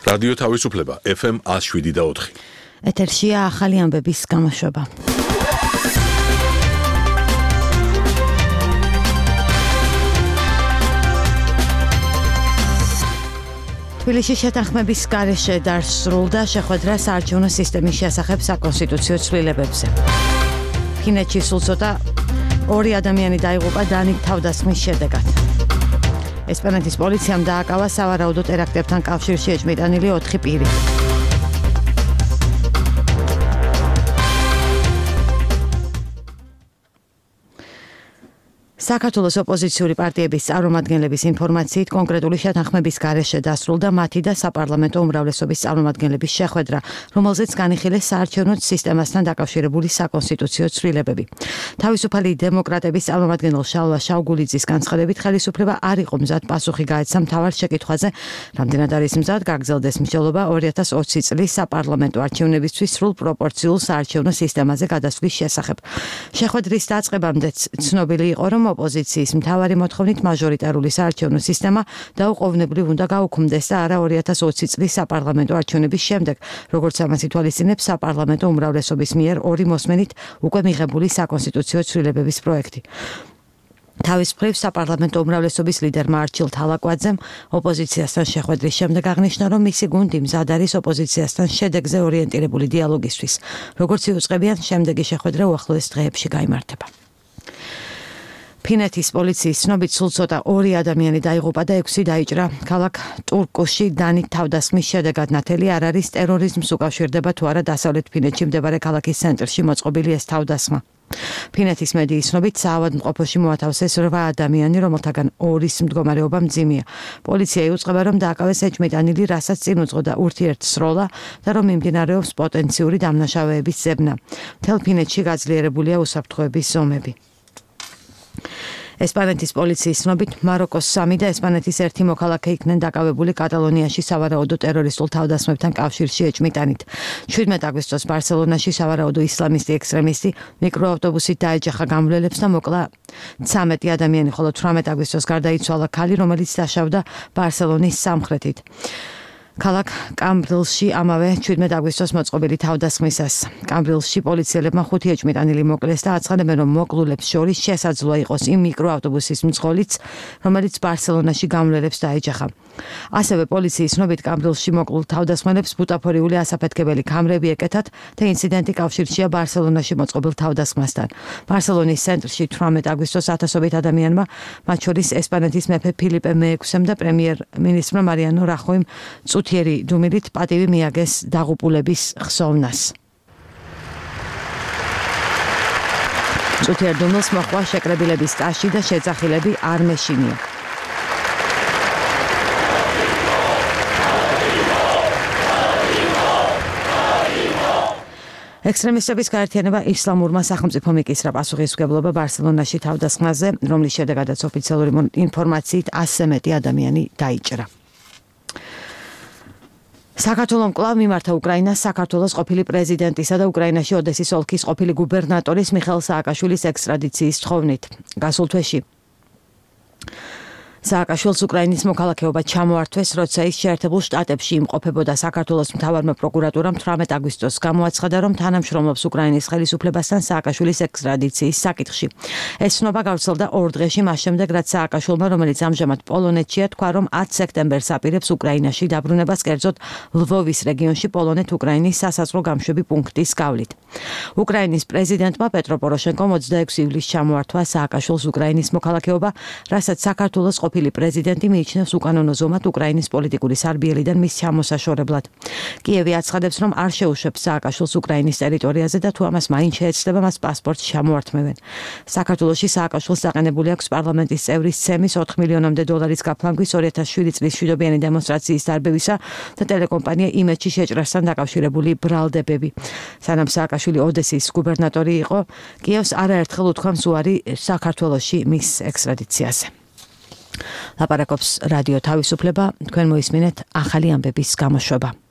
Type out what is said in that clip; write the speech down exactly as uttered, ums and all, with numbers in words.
რადიო თავისუფლება F M one oh seven და four. ეთერშია ახალი ამბების გამოშვება. თბილისში შეთანხმების გარეშე დასრულდა შეხვედრა საარჩევნო სისტემის შესახებ საკონსტიტუციო ცვლილებებზე. ფინეთში სულ ცოტა ორი ადამიანი დაიღუპა დანით თავდასხმის შედეგად. ესპანეთის პოლიციამ დააკავა სავარაუდო ტერაქტებთან კავშირში ეჭვმიტანილი ოთხი პირი. საქართველოს ოპოზიციური პარტიების წარმომადგენლების ინფორმაციით კონკრეტული შეთანხმების გარეშე დასრულდა მათი და საპარლამენტო უმრავლესობის წარმომადგენლების შეხვედრა, რომელზეც განიხილეს საარჩევნო სისტემასთან დაკავშირებული საკონსტიტუციო ცვლილებები. თავისუფალი დემოკრატების წარმომადგენელ შალვა შავგულიძის განცხადებით, ხელისუფლება არ იყო მზად პასუხი გაეცა მთავარ შეკითხვაზე, რამდენად არის მზად გაგრძელდეს მსჯელობა ორი ათას ოცი წლის საპარლამენტო არჩევნებისთვის სრულ პროპორციულ საარჩევნო სისტემაზე გადასვლის შესახებ. შეხვედრის დაწყებამდეც ცნობილი იყო, რომ ოპოზიციის მთავარი მოთხოვნით მაჟორიტარული საარჩევნო სისტემა დაუყოვნებლივ უნდა გაუქმდეს და არა ორი ათას ოცი წლის საპარლამენტო არჩევნების შემდეგ, როგორც ამას ითვალისწინებს საპარლამენტო უმრავლესობის მიერ ორი მოსმენით უკვე მიღებული საკონსტიტუციო ცვლილებების პროექტი. თავის მხრივ საპარლამენტო უმრავლესობის ლიდერმა არჩილ თალაკვაძემ ოპოზიციასთან შეხვედრის შემდეგ აღნიშნა, რომ მისი გუნდი მზად არის ოპოზიციასთან შედეგზე ორიენტირებული დიალოგისთვის. როგორც იუწყებიან, შემდეგი შეხვედრა უახლოეს დღეებში გაიმართება. ფინეთის პოლიციის ცნობით სულ ცოტა ორი ადამიანი დაიღუპა და ექვსი დაიჭრა. ქალაქ ტურკუში დანით თავდასხმის შედეგად ნათელი არ არის ტერორიზმს უკავშირდება თუ არა დასავლეთ ფინეთში მდებარე ქალაქის ცენტრში მოწყობილი ეს თავდასხმა. ფინეთის მედიის ცნობით საავადმყოფოში მოათავსეს რვა ადამიანი, რომელთაგან ორის მდგომარეობა მძიმეა. პოლიცია იუწყება, რომ დააკავეს ეჭვმიტანილი, რასაც წინ უძღოდა ურთიერთსროლა და რომ მიმდინარეობს პოტენციური დამნაშავეების ძებნა. მთელ ფინეთში გაძლიერებულია უსაფრთხოების ზომები. ესპანეთის პოლიციის ცნობით მაროკოს სამი და ესპანეთის ერთი მოქალაქე იქნენ დაკავებული კატალონიაში სავარაუდო ტერორისტულ თავდასხმებთან კავშირში ეჭვმიტანით. შვიდმეტ აგვისტოს ბარსელონაში სავარაუდო ისლამისტი ექსტრემისტი მიკროავტობუსით დაეჯახა გამვლელებს და მოკლა ცამეტი ადამიანი, ხოლო თვრამეტ აგვისტოს გარდაიცვალა ქალი, რომელიც დაშავდა ბარსელონის სამხრეთით. ქალაქ კამბრილში ამავე შვიდმეტ აგვისტოს მოწყობილი თავდასხმისას. კამბრილში პოლიციელებმა ხუთი ეჭვმიტანილი მოკლეს და აცხადებენ, რომ მოკლულებს შორის შესაძლოა იყოს იმ მიკროავტობუსის მძღოლიც, რომელიც ბარსელონაში გამვლელებს დაეჯახა. ასევე პოლიციის ცნობით კამბრილში მოკლულ თავდასხმელებს ბუტაფორიული ასაფეთქებელი კამრები ეკეთათ და ინციდენტი კავშირშია ბარსელონაში მოწყობილ თავდასხმასთან. ბარსელონის ცენტრში თვრამეტ აგვისტოს ათასობით ადამიანმა, მათ შორის ესპანეთის მეფე ფილიპე მეექვსემ და პრემიერ-მინისტრმა მარიანო რახოიმ წუთიერი დუმილით პატივი მიაგეს დაღუპულების ხსოვნას. წუთიერ დუმილს მოჰყვა შეკრებილების ტაში და შეძახილები არ მეშინია. ექსტრემისტების გაერთიანება ისლამურმა სახელმწიფომ იკისრა პასუხისმგებლობა ბარსელონაში თავდასხმაზე, რომლის შედეგადაც ოფიციალური ინფორმაციით ასზე მეტი ადამიანი დაიჭრა. საქართველომ კვლავ მიმართა უკრაინას საქართველოს ყოფილი პრეზიდენტისა და უკრაინაში ოდესის ოლქის ყოფილი გუბერნატორის მიხეილ სააკაშვილის ექსტრადიციის თხოვნით. გასულ თვეში სააკაშვილს უკრაინის მოქალაქეობა ჩამოართვეს, როცა ის შეერთებულ შტატებში იმყოფებოდა. საქართველოს მთავარმა პროკურატურამ თვრამეტ აგვისტოს გამოაცხადა, რომ თანამშრომლობს უკრაინის ხელისუფლებასთან სააკაშვილის ექსტრადიციის საკითხში. ეს ცნობა გავრცელდა ორ დღეში მას შემდეგ, რაც სააკაშვილმა, რომელიც ამჟამად პოლონეთშია, თქვა, რომ ათი სექტემბერს აპირებს უკრაინაში დაბრუნებას, კერძოდ ლვოვის რეგიონში პოლონეთ-უკრაინის სასაზღვრო გამშვები პუნქტის გავლით. უკრაინის პრეზიდენტმა პეტრო პოროშენკომ ოცდაექვსი ივლისს ჩამოართვა სააკაშვილს უკრაინის მოქალაქეობა, რასაც საქართველოს ყოფილი პრეზიდენტი მიიჩნევს უკანონო ზომად უკრაინის პოლიტიკური სარბიელიდან მის ჩამოსაშორებლად. კიევი აცხადებს, რომ არ შეუშვებს სააკაშვილს უკრაინის ტერიტორიაზე და თუ ამას მაინც შეეცდება, მას პასპორტს ჩამოართმევენ. საქართველოში სააკაშვილს დაყენებული აქვს პარლამენტის წევრის ცემის ოთხ მილიონამდე დოლარის გაფლანგვის ორი ათას შვიდი წლის მშვიდობიანი დემონსტრაციის დარბევისა და ტელეკომპანია იმედში შეჭრასთან დაკავშირებული ბრალდებები. სანამ სააკაშვილი ოდესის გუბერნატორი იყო, კიევს არაერთხელ უთქვამს უარი საქართველოში მის ექსტრადიციაზე. ლაპარაკობს რადიო თავისუფლება, თქვენ მოისმინეთ ახალი ამბების გამოშვება.